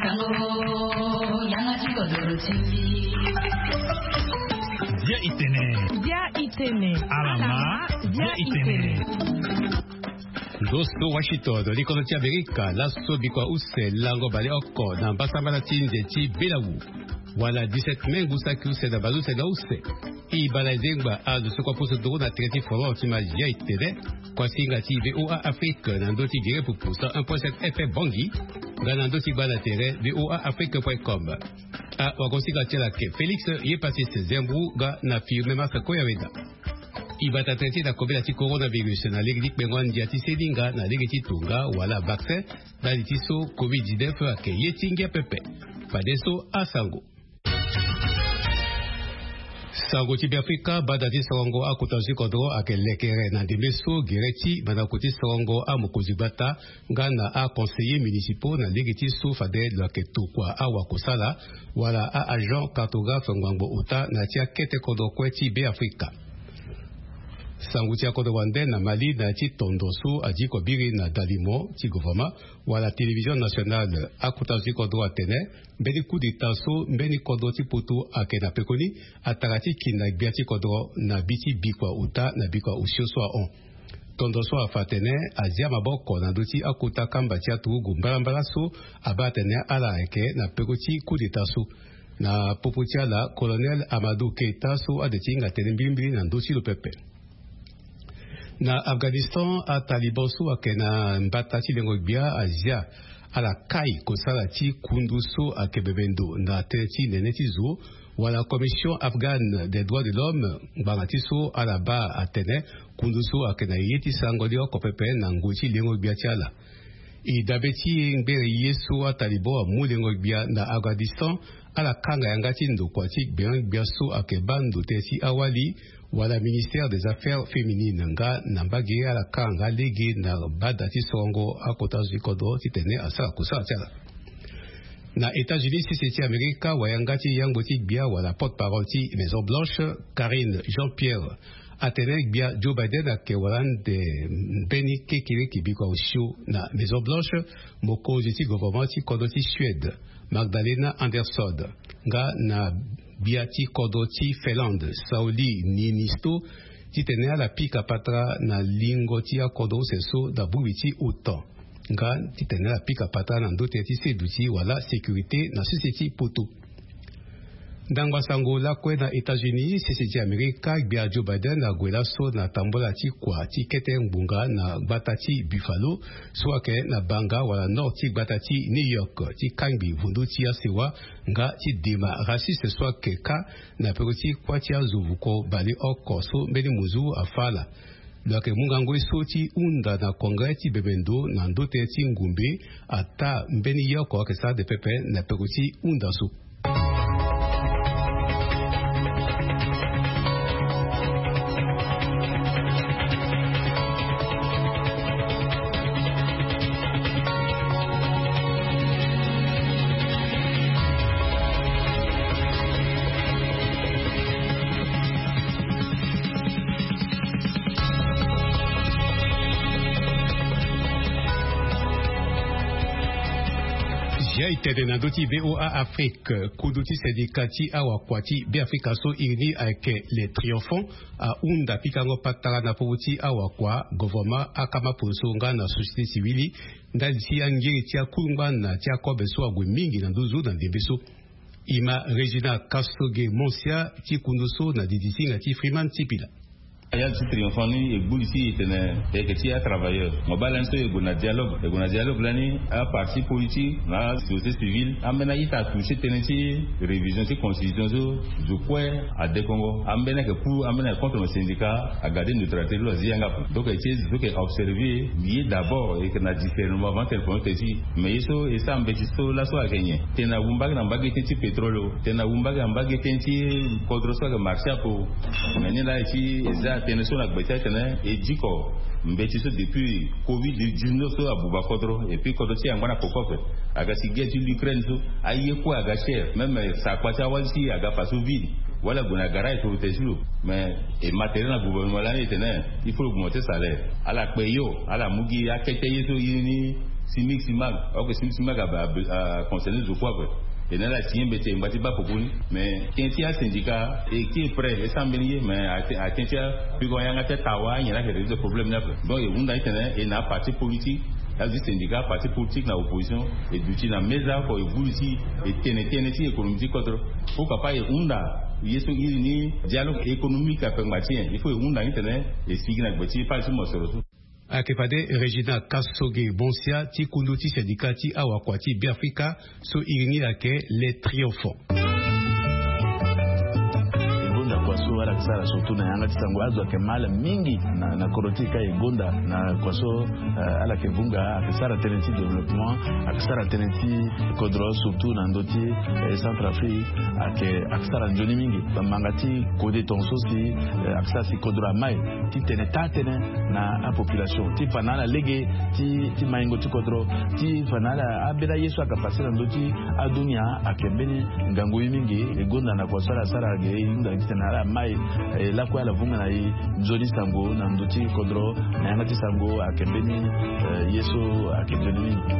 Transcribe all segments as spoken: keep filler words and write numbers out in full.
Bia itene. Bia itene. Alama. Bia itene. Ndo so Washington, likono ti Amerika, laso bikua use lango baleoko na mbasambala ti nze ti Belawu, wala dix-sept mai ngu saki use na baleuse na use. E bale zengba azo so kua poso nduru na tere ti forum ti Mazia itene, kuasinga ti VOA Afrique na ndö ti gere pupu cent un point sept F M Bangui, nga na ndö ti gba na tere VOA Afrique point com. Awagosinga ti ala ayeke Félix Yepassis Zembou nga na Firmin Marc Koyaweda. E bata tënë ti na kobela ti coronavirus na lege ti kpengo andia ti seninga na lege ti tonga wala vaccin, ndali ti so covid dix-neuf ayeke ye ti ngia pepe. Fadeso asango. Sango ti Beafrika, bada ti sorongo akota zo ti kodro ayeke lekere na ndembe so gere ti mandako ti sorongo amokonzi gbata nga na aconseillers municipaux na lege ti so fade lo yeke tokua awakosala wala a-agent cartographe ngbangbo ota na ya ti akete kodro kue ti Beafrika. Sango ti akodro wande na Mali na ya ti tondo so adiko biri na dalimo ti gouvernement wala télévision nationale, akota zo ti kodro atene mbeni coup d'état so mbeni kodro ti poto ayeke na pekoni atara ti ki na gbia ti kodro na bi ti bikua ota na bikua osio so ahon. Tondo so afa atene azia maboko na ndö ti akota kamba ti aturugu mbalambala so abaa atene ala ayeke na peko ti coup d'état so. Na popo ti ala, Colonel Amadou Keita so ade ti hinga tënë mbilimbili na ndö ti lo pepe. Na Afghanistan, ataliban so ayeke na mbata ti lengo gbia azia ala kai kosala ti kundu so ayeke bembe ndo na tënë ti nene ti zo, wala Commission Afghane des Droits de l'Homme, ngbanga ti so ala baa atene kundu so ayeke na ye ti sarango ni oko pepe na ngoi ti lengo gbia ti ala. E dabe ti ngbere ye so ataliban amu lengo gbia na Afghanistan, ala kanga yanga ti ndokua ti gbia gbia so ayeke baa ndo tënë ti awali, wala Ministère des Affaires Féminines, nga na mbage ala kanga lege na bada ti sorongo akota zo ti kodro titene asara kosara ti ala. Na États-Unis, sese ti Amerika, wayanga ti yangbo ti gbia wala porte-parole ti Maison Blanche, Karine Jean-Pierre, atene gbia Joe Biden ayeke wara ande mbeni kekereke bikua osio na Maison Blanche, mokonzi ti gouvernement ti kodro ti Suède, Magdalena Andersson, nga na gbia ti kodro ti Finlande, Sauli Niinisto, titene ala pika patara na lingo ti akodro use so na bongbi ti OTAN, nga titene ala pika patara na ndö tënë ti seduti wala sécurité na sese ti poto. Ndangba sango lakue na États-Unis, sese ti Amerika, gbia Joe Biden ague laso na tambola ti kua ti kete ngbonga na gbata ti Buffalo so ayeke na banga wala nord ti gbata ti New York, ti kangbi vundu ti asewa nga ti dema raciste so ayeke kâ na peko ti kuâ ti azo vuko baleoko so mbeni mozu afâ ala. Lo yeke mu ngangu ye so ti hunda na congrès ti bembe ndo na ndö tënë ti ngumbe ataa mbeni ye oko ayeke sara ande pepe na peko ti hunda so. Zia e tene na ndö ti VOA Afrique, kudu ti syndicat ti awakua ti Beafrika so iri ni ayeke Les Triomphants, ahunda pikango patara na popo ti awakua, gouvernement, akama ponso nga na société civile, ndali ti angiri ti akulungba na ti akobe so ague mingi na nduzu na ndembe so. E ma Régina Kasoge Monsia ti kundu so na didi ti hinga ti Freeman Tipila. Ya ti Triomphant ni e gbu li ti e tene e yeke ti atravailleur. Mo baa lani so e gue na dialogue, e gue na dialogue lani, aparti politique na asociété civile, ambeni a-ita atouché tënë ti révision ti constitution so zo kue adekongo. Ambeni ayeke pour, ambeni ayeke contre. Mo syndicat agade neutralité ti lo azi yanga ape. Donc e ti e zo so yeke observer ye d'abord, e yeke na discernement avant tene prononce tënë ti e. Mais ye so e sara mbeti so laso ayeke nyen? Tene awu mbage na mbage tënë ti pétrole o, tene awu mbage na mbage tënë ti kodro so ayeke marché ape o. Mais ni laa e ti e za tënë so na gbe ti atene e diko mbeti so depuis covid dix-neuf so abuba kodro, et puis kodro ti e angba na koko ape. Aga si guerre ti l'Ukraine so, aye kue aga cher, même sakpa ti awali ti e aga faso vide. Wala gue na garage so te ti lo. Mais e ma tere na gouvernement lani e tene il faut lo augmenter salaire. Ala kpe yo, ala mu gi akete ye so ye ni Simig simag, ok, simig simag aconcerné zo kue ape. E na ala si ye mbeti e ngba ti baa poko ni. Mais tënë ti asyndicat e kiri prêt e sara mbeni ye, mais atënë ti apiko yanga ti atawa anyen laa ayeke résoudre problème ni ape. Donc e hunda titene e na aparti politique, azo ti syndicat, parti politique na opposition, e duti na meza oko e vulu ti e tene tënë ti économie ti kodro. Pourquoi pas e hunda ye so iri ni dialogue économique ape ngba ti nyen? Il faut e hunda ni titene e sigi na gbe ti fade ti mosoro so. Ayeke fade Régina Kasoge Bonsia ti kundu ti syndicat ti awakua ti Beafrika so iri ni ayeke Les Triomphants. E gonda kua so ala yeke sara surtout na yanga ti sango, azo ayeke ma ala mingi na, na kodro ti e ka e gonda na kua so, eh, ala yeke vunga, ayeke sara tënë ti développement, ayeke sara tënë ti kodro surtout na ndö ti, eh, Centrafrique, ayeke, ayeke sara nzoni mingi. Bamanga ti kode tongaso si, eh, ayeke sara si kodro amai ti tene taa tënë na apopulation ti fa na ala lege ti, ti maingo ti kodro, ti fa na ala ambeni aye so ayeke pase na ndö ti adunia. Ayeke mbeni ngangu ye mingi. E gonda na kua so ala sara ge e hunda titene ala mai, eh, lakue ala vunga na e nzoni sango na ndö ti kodro. Na yanga ti sango ayeke mbeni, eh, ye so ayeke nzoni mingi.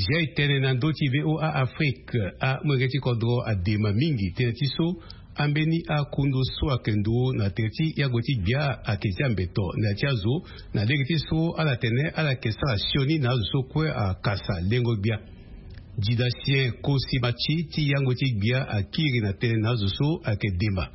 Zia e tene na ndö ti VOA Afrique, amolenge ti kodro adema mingi tënë ti so ambeni akundu so ayeke nduru na tere ti yango ti gbia ayeke zia mbeto na ya ti azo, na lege ti so ala tene ala yeke sara sioni na azo so kue akasa lengo gbia. Didasien Kosi Matsi ti yango ti gbia akiri na tënë na azo so ayeke dema.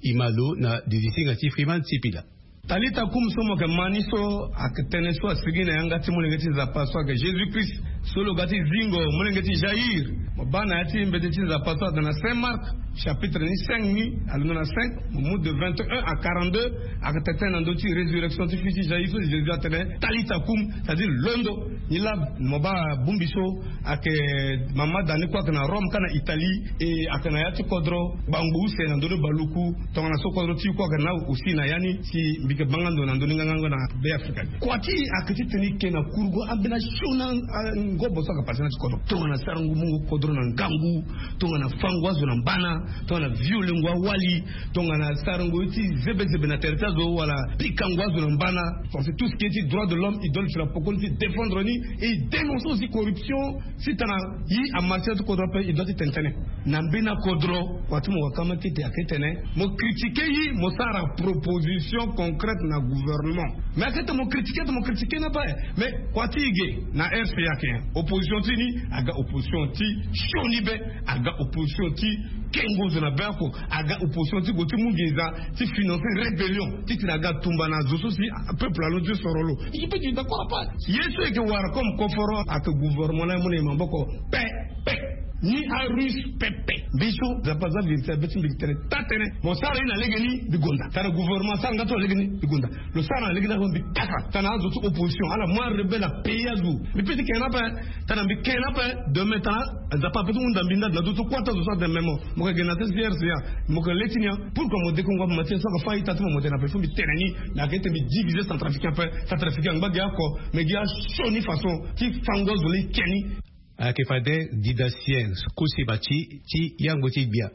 E ma lo na didisinga ti Freeman Sipila. Talita kum so mo yeke ma ni so ayeke tënë so asigi na yanga ti molenge ti Nzapa so ayeke Jésus Christ, so lo ga ti zingo molenge ti Jaïr. Mo baa na ya ti mbeti ti Nzapa so ayeke na Saint Marc, chapitre ni cinq ni, alondo na cinq, mo mu de vingt et un à quarante-deux, ayeke tene tënë na ndö ti résurrection ti fils ti Jaïr so Jésus atene, Talita kum, c'est-à-dire londo. Ni laa mo baa bongbi so ayeke mama da ni kue ayeke na Rome ka na Italie, e ayeke na ya ti kodro gbangbo use na ndö ni baluku. Tongana so kodro ti e kue ayeke na aussi na ya ni si mbi yeke banga ndo na ndö ni ngangango na Beafrika. Kua ti e ayeke ti tene e ke na kurugu ambeni asioni, ah, ngobo so ayeke pase na ya ti kodro. Tongana sarango mungo kodro na ngangu, tongana fango azo na mbana, tongana violengo awali, tongana sarango ye ti zebezebe na tere ti azo wala pikango azo na mbana. Parce que tout ce qui est ti droit de l'homme, e doit ti na poko ni ti défendre ni, et e dénoncer aussi corruption. Si tana ye amarché ti kodro ape, e doit ti tene tënë. Na mbeni akodro, kua ti mo waka ma tete ayeke tene mo critiquer ye, mo sara proposition concrète na gouvernement. Mais ayeke tene mo critiquer, tene mo critiquer ni ape. Mais kua ti e ge na R C A ayeke nyen? Opposition ti ni aga opposition ti sioni be, aga opposition ti kengo zo na be oko, aga opposition ti gue ti mu nginza ti financer rébellion, ti tene aga tumba na zo so si peuple alondo ti soro lo. Je peux dire d'accord ape. Ye so e yeke wara comme koforo ayeke gouvernement laa e mu na e maboko pe, pe. Ni arusse pepe. Mbi so Nzapa aza vérité abe ti mbi yeke tene taa tënë. Mo sara ye na lege ni, mbi gonda. Tara gouvernement asara nga ti lo na lege ni, mbi gonda. Lo sara na lege ni ape, mbi kapa. Tana azo ti opposition ala mu arebelle apayer azo. Mbi peut ti ke ni ape. Tana mbi ke ni ape, demain tana Nzapa ape ti hunda mbi ndali na ndö ti kua ti azo so atene me mo, mo yeke ge na tënë ti R C A, mo yeke le ti ni ya. Pourquoi mo dekongo ape? Mo tene so ayeke fâ a-ita ti mo, mo tene ape, il faut mbi tene ni. Me ayeke ti tene mbi diviser Centrafricain ape. Centrafricain angba ge oko, me ge asioni façon ti fango azo laa e ke ni. Ayeke fade Didasien Kosi Matsi ti yango ti gbia.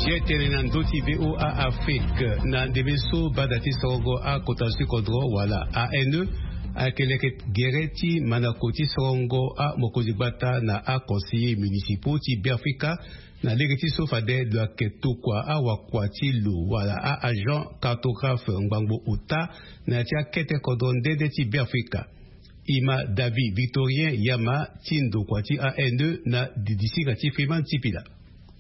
Zia e tene na ndö ti VOA Afrique, na ndembe so bada ti sorongo akota zo ti kodro wala A N E ayeke leke gere ti mandako ti sorongo amokonzi gbata na aconseiller municipaux ti Beafrika, na lege ti so fade lo yeke tokua awakua ti lo wala a-agent cartographe ngbangbo ota na ya ti akete kodro nde nde ti Beafrika. E ma David Victorien Yama ti ndokua ti A N E na didisinga ti Freeman Sipila.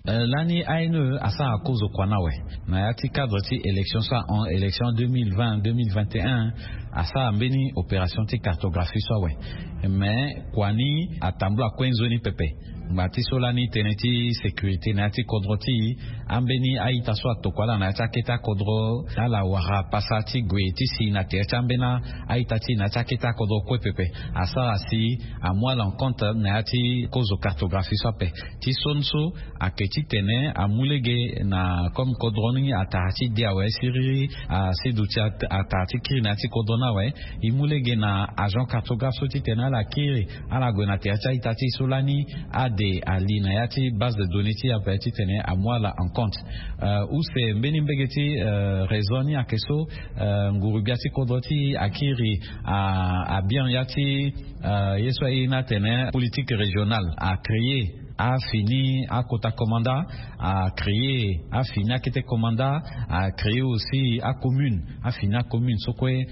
Eh, lani A N E asara kozo kua ni awe na ya ti cadre ti élection so ahon, élection deux mille vingt, deux mille vingt et un, asara mbeni opération ti cartographie so awe. Mais kua ni atambula kue nzoni pepe. Ngba ti so lani tënë ti sécurité na ya ti kodro ti e, ambeni a-ita so atokua ala na ya ti akete akodro, ala wara pasa ti gue ti si na tere ti ambeni a-ita ti e na ya ti akete akodro kue pepe. Asara si amu ala en compte na ya ti kozo cartographie so ape. Ti son so ayeke titene amu lege na comme kodro ni atara ti de awe siriri, asi duti atara ti kiri na ya ti kodro ni awe. E mu lege na agent cartographe so titene ala kiri, ala gue na tere ti a-ita ti e so lani ade ali na ya ti base de données ti e ape titene amu ala en compte. Use mbeni mbege ti réseau ni ayeke so, nguru-gbia ti kodro ti e akiri abien ya ti ye so aye ni atene politique régionale, acréer afini akota komanda, acréer afini akete komanda, acréer aussi acommune, afini acommune so kue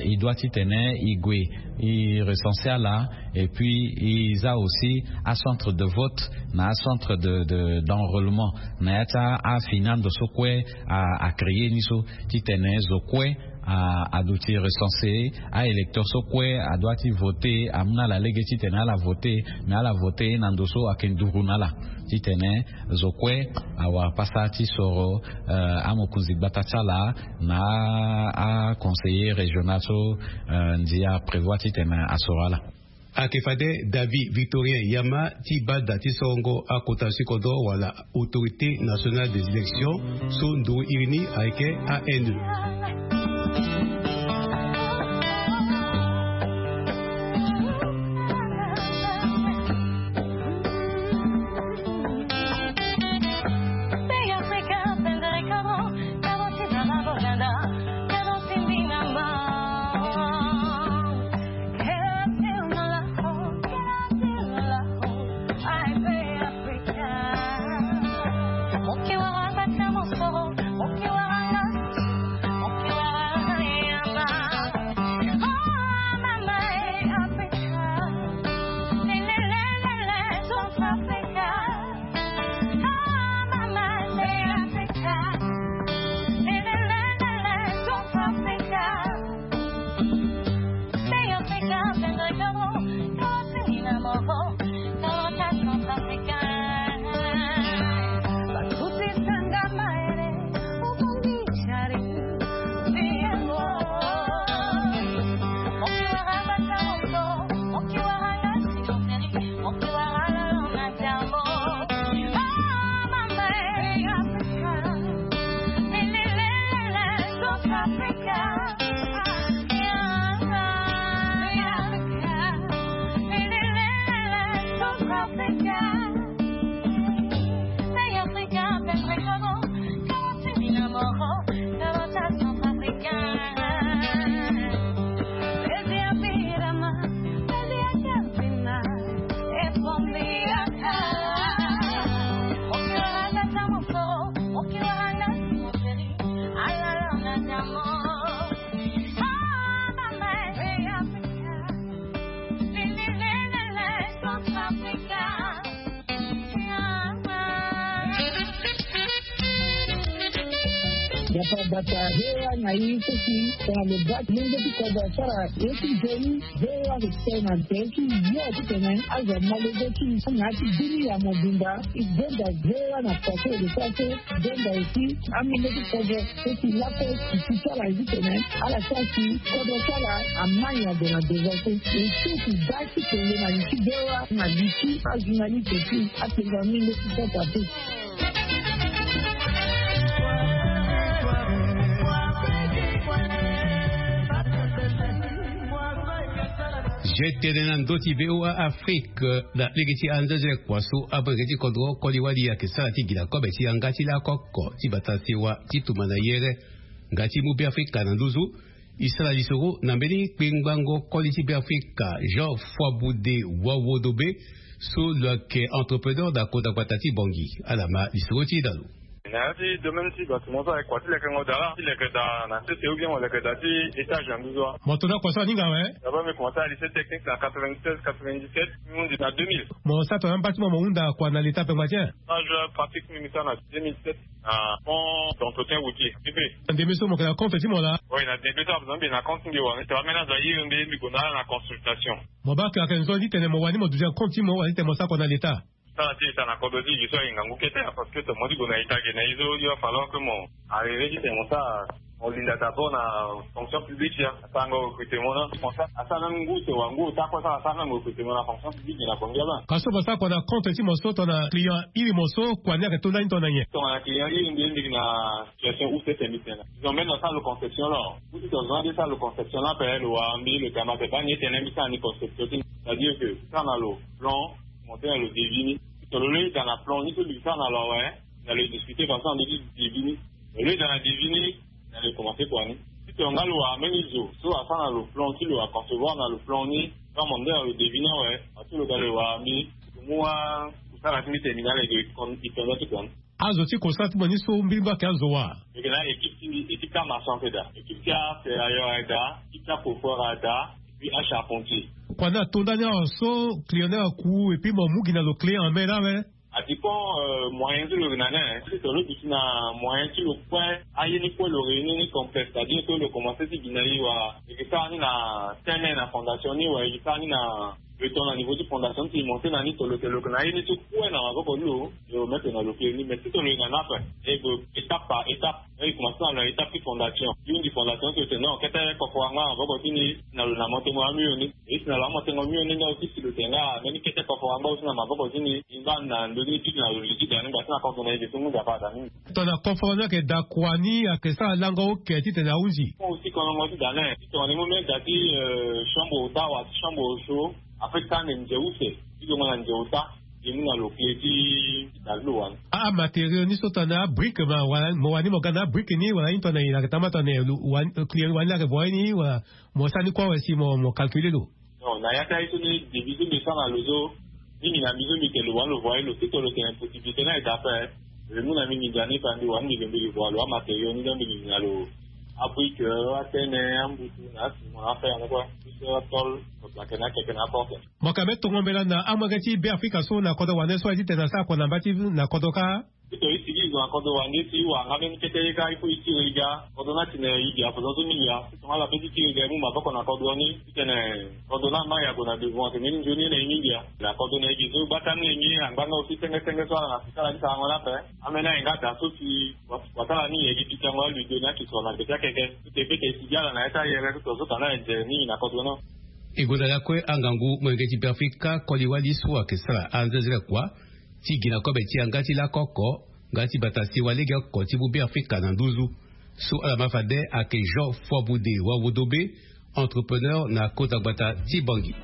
e doit titene e gue e recenser ala. Et puis e za aussi acentre de vote na acentre de d'enrôlement na ya ti afini ando so kue acréer ni so, titene zo kue aduti recenser a-électeur so kue adoit ti voter, amu na ala lege titene ala voter. Mais ala voter na ndo so ayeke nduru na ala, titene zo kue awara pasa ti soro amokonzi gbata ti ala na aconseiller régional so ndia aprévoir titene asoro ala. Ayeke fade David Victorien Yama ti bada ti sorongo akota ti kodro wala Autorité Nationale des Élections, so nduru iri ni ayeke A N E. Dafa bata hewa na ye so si tongana lo baa ti lenge ti kodro asara ye ti nzoni. Hewa ayeke tene na tere ti yo titene azo amolenge ti na ya ti bini ya mobimba. E gonda hewa na pase ede so aso. Gonda aussi amolenge ti kodro so si lakue ti ti ti ala ye titene ala sara si kodro ti ala amai na ndo na ndo so. E so ti baa ti tene na li ti hewa na li ti ajournaliste ti apenza mingi ti sata te. Je tene na ndö ti V O A Afrique na lege ti anzenze kua so amolenge ti kodro koli wali ayeke sara ti gi na kobe ti yanga ti lako oko ti bata sewa ti tumba na yere nga ti mu Beafrika na nduzu. E sara lisoro na mbeni kpengbango koli ti Beafrika Jean Foiboude Wawodobe, so lo yeke entrepreneur na kota gbata ti Bangui. Ala ma lisoro ti e na lo. Na ya ti domaine ti bâtiment so ayeke kua ti lekengo daa la ti leke daa na sese ou bien mo leke daa ti étage na nduzu wa. Mo to na kua so aninga awe. D'abord mbi commencé na lycée technique na quatre-vingt-seize quatre-vingt-dix-sept, mbi hundi na deux mille. Mo sara tongana bâtiment mo hunda kua na leta ape ngba ti en? Moi je pratique mbi sara na deux mille sept na pont d'entretien routier, P P. Na ndembe so mo yeke na compte ti mo laa? Oui, na ndembe so ape mbi na compte ti mbi wa, tongana ambeni azo airi mbi, mbi gue na ala na consultation. Mo baa ke ayeke nzoni titene mo wani mo duti na compte ti mo wala titene mo sara kua na leta? Sara ti e ta na kodro ti e gi so aye ngangu kete ya, parce que to mo ti gue na ita ge na ye so yo afalor que mo arriver ti tene mo sara. Mo linda d'abord na fonction publique ya, asarango recrutement na fonction, asara même ngu te wa ngu ota kue sara asara même recrutement na fonction publique na Bongi aba. Ka so basara kua na compte ti mo so tongana client iri mo so kua ni ayeke to ndani tongana nyen? Tongana client iri mbi ye mbi gi na situation use tene mbi tene. Ils ont même na sara lo conception là. Ou ti to zo ande sara lo conception là pe lo wa mbi lo tama te bani ye tene mbi sara ni conception ti ni. C'est-à-dire que sara na lo plan, monter na lo devis ni. Ti to lo lo ye da na plan ni so mbi sara na lo awe. Na lo discuter façon ande ti devis ni. Lo lo ye da na devis ni. Na lo commencer kua ni. Ti to nga lo wa même ni zo so asara na lo plan ti lo aconcevoir na lo plan ni. Ka mo nde na lo devis ni awe. Ati lo ga lo wa mbi. Mo wa kusala ti mbi tene mbi na lege i tonda ti kua ni. Azo ti constat ti mo ni so mbiri mbi ayeke azo wa? Mbi yeke na équipe ti mbi, équipe ti amaçon ayeke daa, équipe ti aserrailleur ayeke daa, équipe ti acoffreur ayeke daa, et puis acharpentier. Kua ni ato ndani awa so client ni aku et puis mo mu gi na lo clé en main lawe? Adépend moyen ti lo yeke na ni. Si to lo duti na moyen ti lo kue, aye ni kue lo réunir ni complet, c'est-à-dire que lo commencer ti gi na e wala e yeke sara ni na tene na fondation ni wala e yeke sara ni na le temps na niveau ti fondation ti monter na ni to lo te lo yeke na ye ni so kue na maboko ti lo. Yo mete na lo clé ni mais si to lo yeke na ni ape, e gue étape par étape. E commencer na lo na étape ti fondation. Yo ndi fondation ti lo te non kete kofo angba na maboko ti ni. Na lo na motengo amio ni. E si na lo amotengo mio ni nga aussi si lo te nga mbeni kete kofo angba aussi na maboko ti ni. Ngba na ndö ni ti na lo li ti da ni ngba ti na kodro na e ge so ngu nzapa ada ni. Tongana kofo ni ayeke da kua ni ayeke sara lango oke titene ahunzi. Fo aussi kolongo ti da ni. Tongana e mu mbeni da ti chambre ota wala ti chambre oso. Ape tande nze use ti zongo na nze ota. E mu na lo clé ti da ti lo wani. Amatériaux ni so tongana abrique ma wala mo wani mo ga na abrique ni wala ni tongana e na yeke tama tongana client wani ni ayeke voye ni wala mo sara ni kue awe si mo mo calculer lo. Non na ya ti aye so ni devis so mbi sara na lo so. Mingi na mbi so mbi yeke lo wani lo voye lo ti to lo tene possibilité ni ayeke ape. Lo mu na mbi nginza ni fa mbi wani mbi lo mbi lo voye lo amatériaux ni donc mbi nginza lo. Abrique, atene, ambutu na asimo na afere yango kue. Biso atol. Mo yeke na akeke na aporte. Mo yeke ambeni tongo mbela na amolenge ti Beafrika so na kodro wande so aye titene asara kua na mba ti na kodro kâ. Ti to e sigi zo na kodro wande ti wara nga mbeni kete ye kâ il faut e tiri e ga. Kodro ni atene e gi ape zo so mingi a. Ti tongana ala pe ti tiri e ga e mu maboko na kodro ni titene kodro ni ama e ague na devant tene ni nzoni ye na e mingi a. Na kodro na e gi so gbata ni lengi angba nga aussi senge senge so ala na sika ala ti sarango ni ape. Ambeni aye nga da so si wasala ni e gi pikango aludo ni ake so na gbe ti akeke. Ti te pe ke e sigi ala na ya ti ayere so to so tana e nze mingi na kodro ni. E gonda lakue angangu molenge ti Beafrika koli wali so ayeke sara anzenzele kua ti gi na kobe ti yanga ti lako oko nga ti bata sewa lege oko ti mu Beafrika na nduzu. So ala ma fade ayeke Jean Foibude Wawodobe, entrepreneur na kota gbata ti Bangui.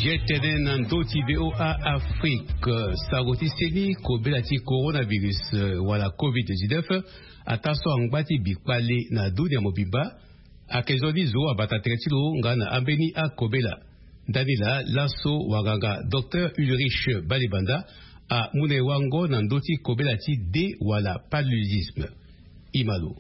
Ye tene na ndö ti V O A Afrique, sango ti seni kobela ti coronavirus, eh, wala covid dix-neuf, ataa so angba ti bikpale na dunia mobimba, ayeke zo ni zo abata tere ti lo nga na ambeni akobela. Ndani laa laso wanganga Docteur Ulrich Balibanda amu na e wango na ndö ti kobela ti de wala paludisme. Ima lo.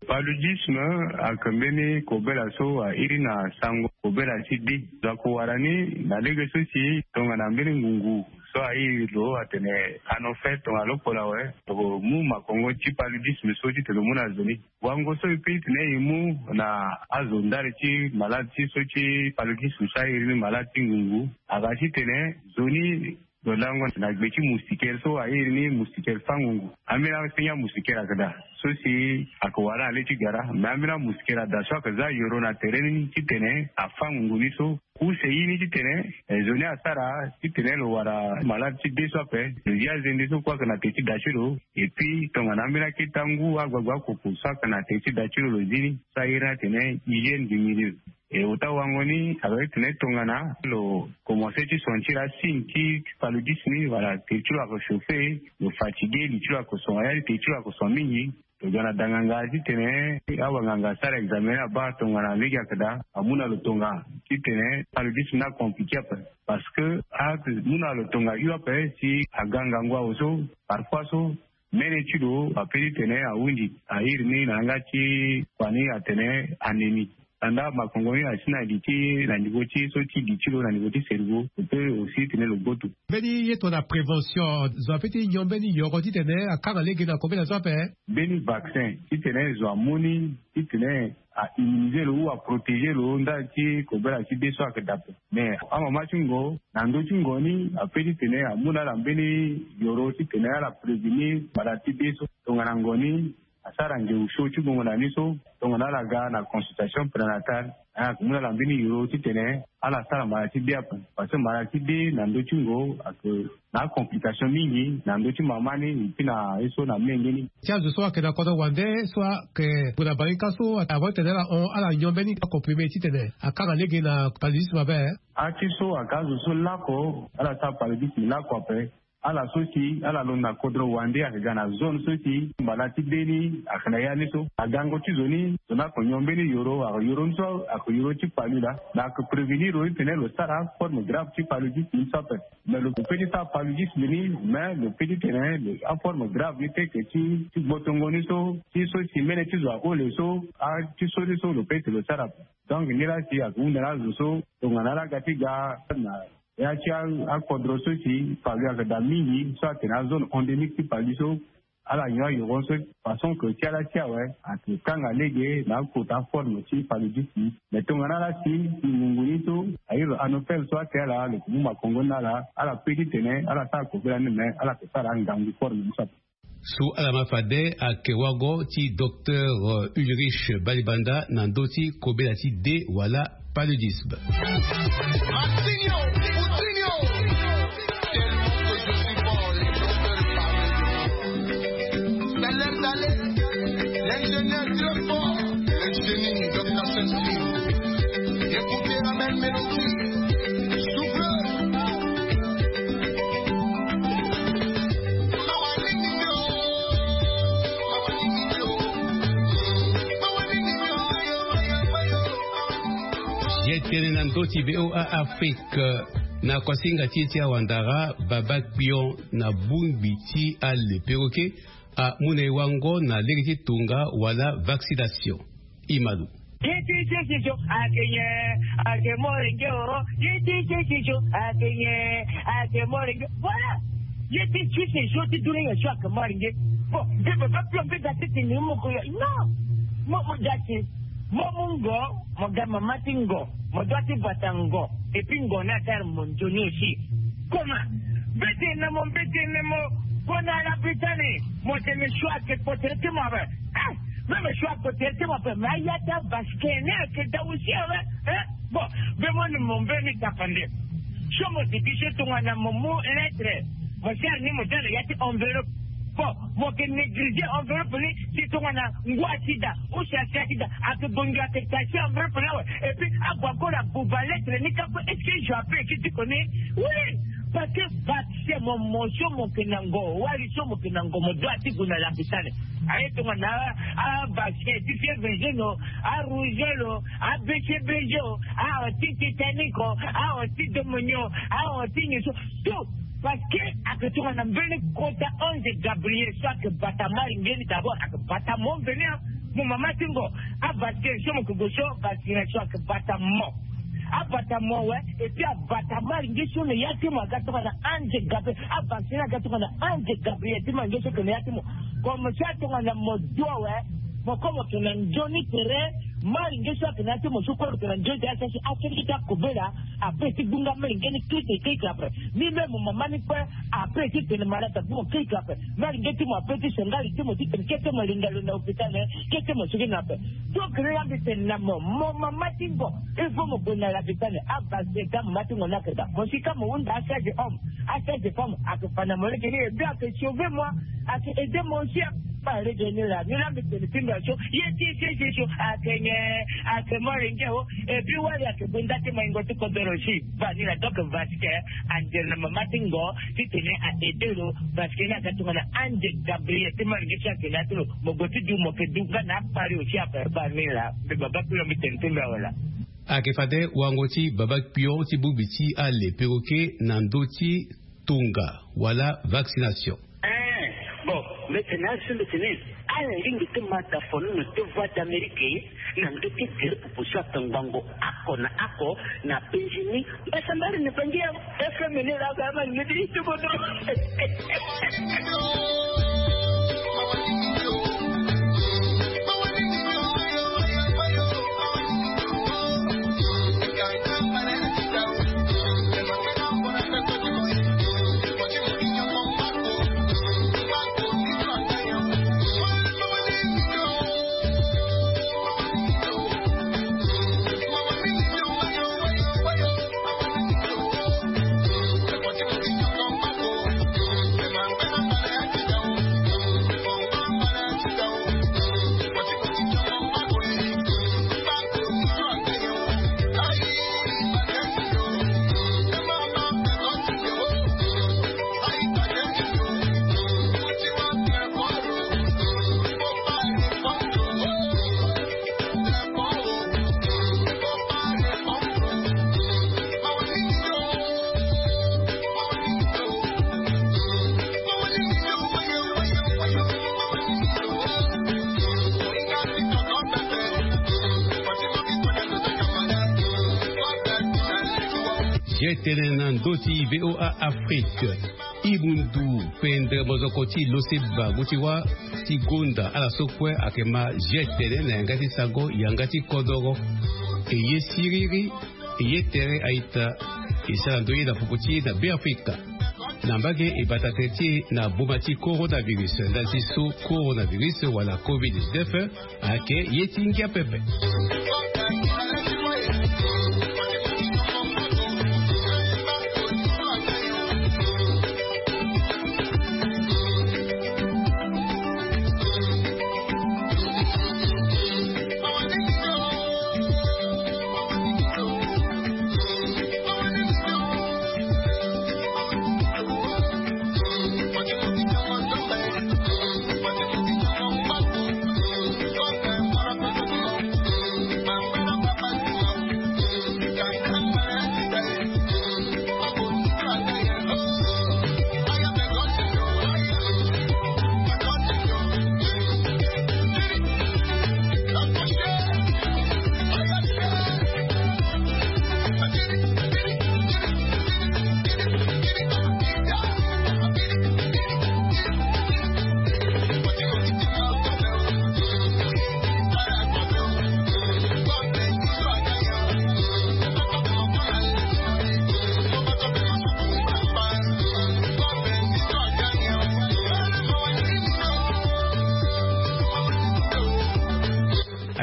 Paludisme ayeke mbeni kobela so airi na sango kobela ti de. Lo yeke wara ni na lege so si tongana mbeni ngungu so airi lo atene anophèle tongana lokpolo awe, lo mu makongo ti paludisme so titene lo mu na zo ni. Wango so e pe titene e mu na azo ndali ti malade ti so ti paludisme so airi ni malade ti ngungu, aga titene zo ni lo lango na gbe ti moustiquaire so airi ni moustiquaire fangungu. Ambeni asengi amoustiquaire ayeke daa so si ayeke wara na le ti gara, me ambeni amoustiquaire ada so ayeke za yoro na tere ni titene afangungu ni so. Use ye ni titene, eh, zo ni asara titene lo wara malade ti de so ape, lo zi azende so kue ayeke na te ti da ti lo. Et puis tongana ambeni akete angu agbagba akoko so ayeke na te ti da ti lo lo zi ni so airi ni atene hygiène du milieu. E ota wango ni ayeke titene tongana lo commencer ti sentir asigne ti paludisme ni wala te ti lo ayeke chauffer, lo fatigué, li ti lo ayeke son, ya ni te ti lo ayeke son mingi. Lo ga na danganga titene awanganga asara examen ni abaa tongana lege ayeke daa, amu na lo tonga titene paludisme ni acompliqué ape. Parce que amu na lo tonga hio ape si aga ngangu awe so, parfois so mene ti lo ape titene ahunzi, airi ni na yanga ti kua ni atene anémie. Anda makongo ni asi na li ti na niveau ti so ti li ti lo na niveau ti cerveau lo pe aussi tene lo gboto. Mbeni ye tongana prévention zo ape ti nyon mbeni yoro titene akanga lege na kobela so ape. Mbeni vaccin titene zo amu ni titene a immuniser lo ou a protéger lo ndali ti kobela ti be so ayeke daa ape. Mais amama ti ngo na ndö ti ngo ni ape titene amu na ala mbeni yoro titene ala prévenir mbala ti be so tongana ngo ni asara ngeu so ti gongo na ni so tongana ala ga na consultation prénatale. Ayeke mu na ala mbeni yoro titene ala sara mbala ti be ape. Parce que mbala ti be na ndö ti ngo ayeke na acomplication mingi na ndö ti mama ni epui na ye so na menge ni. Ti azo so ayeke na kodro wande so ayeke gue na balenika so avant titene ala hon ala nyon mbeni acomprimé titene akanga lege na paludisme ape. Ati so ayeke azo so lako ala sara paludisme lako ape. Ala so si ala londo na kodro wande ayeke ga na zone so si mbala ti be ni ayeke na ya ni so agango ti zo ni zo ni ayeke nyon mbeni yoro ayeke yoro ni so ayeke yoro ti palu laa. Mais ayeke prévenir lo ni tene lo sara aforme grave ti paludisme ni so ape. Mais lo pe ti sara paludisme ni mais lo pe ti tene aforme grave ni teke ti ti gbotongo ni so ti so si mene ti zo ahole so ati so ni so lo pe ti lo sara ape. Donc ni laa si ayeke hunda na azo so tongana ala ga ti ga na ya ti akodro so si palu ayeke daa mingi so atene azone endémique ti palu so ala nyon ayoro so façon ke ti ala ti awe ayeke kanga lege na akota aforme ti paludisme. Mais tongana ala si si ngungu ni so airi anopel so ake ala lo ke mu makongo ni na ala ala pe titene ala sara kobela ni mais ala ke sara angangu forme ni so ape. So ala ma fade ayeke wago ti docteur Ulrich Balibanda na ndö ti kobela ti de wala paludisme. Ye tene na ndö ti VOA Afrique na koasinga ti e ti awandara baba kpion na bongbi ti ale peroke amu na e wango na lege ti tonga wala vaccination. Imalu. Ye ti sese so ayeke nyen? Ayeke morenge o. Ye ti sese so ayeke nyen? Ayeke morenge. Voilà. Ye ti sese so ti dunia so ayeke morenge. Bon, mbi baba pio mbi ga ti tene mo ko yo non. Mo mo ga ti mo mu ngo. Mo ga mama ti ngo. Mo doit ti bata ngo. Et puis ngo ni asara mo nzoni aussi. Comment? Mbetene mo mbetene mo. Kona ala bitani mo tene choix ke potere ti mo abe. Eh, même choix potere ti mo abe mais aya ti abasike ni ayeke daa aussi awe. Eh, bon. Mbe mo ni mo mbeni tapande. So mo diki so tongana mo mu lettre mo sara ni mo dala ya ti enveloppe. Bon, mo ke négligé enveloppe ni. Si tongana ngua ti da ou si asi ati da ake bongi ake tasi enveloppe ni awe. Et puis ague encore abuba lettre ni ka kue est-ce que je appelle ki ti koni? Oui. Parce que vaccin mo mo so mo ke na ngo wali so mo ke na ngo mo doit ti gue na lapitale. Aye tongana abassin ti fievre jaune o, arougeole o, abcbg o, aho ti titanique o, aho ti domonio, aho ti nyon so. Tout. Parce que ake tongana mbeni kota ange gabriel so ake bata maringeni d'abord ake bata mo mveni a. Mo mama ti ngo. Avassin so mo ke go so vaccination ake bata mo. Abata mo awe. Et puis abata maringe so na ya ti mo aga tongana ange gabriel. Avacciné aga tongana ange gabriel ti maringe so ke na ya ti mo. Comme so atongana mo du awe. Mo ko mo ke na nzoni tere. Maringe so ake na ya ti mo so kue lo ke na nzoni tere asasi asengete akobela. Ape ti gbunga maringe ni kete keke ape. Ni me mo mama ni kue. Ape ti tene malade abu mo keke ape. Maringe ti mo ape ti sengari ti mo ti tene kete mo linga lo na hôpital. Kete mo sigi na ape. Donc ni la mbi tene na mo mo mama ti ngo. Il faut mo gue na lapitale. Abase ka mama ti ngo ni akeda mo si ka mo hunda asage homme. Asage femme ake fa na mo lege ni et puis ake sauver moi. Ake aider moi aussi. Ba lege ni la ni la mbi tene ti mbi aso. Ye ti sese so ake nyen? Ake mo lenge o. Et puis wali ake gue nda ti maingo ti kodoro si. Ba ni la donc vasque. Angel na mama ti ngo. Ti tene a aider lo. Vasque ni aga tongana angel gabriel ti maringe si ake na ya ti lo. Mo go ti du mo ke du nga na apari aussi ape ba ni la. Mbi baba kpilo mbi tene ti mbi awe la. Ayeke fade wango ti baba kpion ti bongbi ti ale peroke na ndö ti tonga wala vaccination. Eh, bon, mbi tene asi mbi tene. Ala lingbi ti mata fono na ti Voix d'Amérique na ndö ti gere pupu so ake ngbongo oko na oko na Benjini. Mbasambari na Bangi ya F M ni la ga ma ni ti bodo. Ye tene na ndö ti V O A Afrique. Imundu pendre mozoko ti lo seba ngu ti wâ ti gonda ala so kue ayeke ma ye tene na yanga ti sango yanga ti kodoro. E ye siriri, e ye tere a-ita. E sara ndoye na popo ti e na Beafrika. Na mbage e bata tere ti e na boma ti coronavirus. Ndali ti so coronavirus wala covid dix-neuf ayeke ye ti ngia pepe.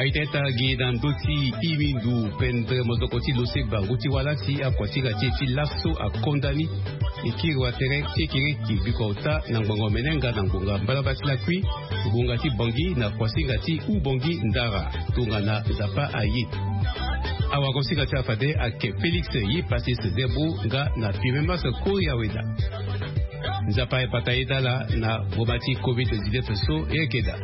Aita ita gi na ndö ti imindu pendre mozoko ti lo seba ngu ti wâ la si akuasinga ti e ti laso akonda ni. E kiri wa tere kekereke biko ota na ngbonga omene nga na ngbonga mbalamba ti lakui, ngbonga ti Bangi na kuasinga ti Ubongi Ndara tongana Nzapa aye. Awagosinga ti afade ayeke Félix Yepasis Debo nga na Firmin Mas Kori Aweda. Nzapa ayepata ye dala na boma ti covid dix-neuf so e yeke daa.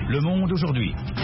Le monde aujourd'hui.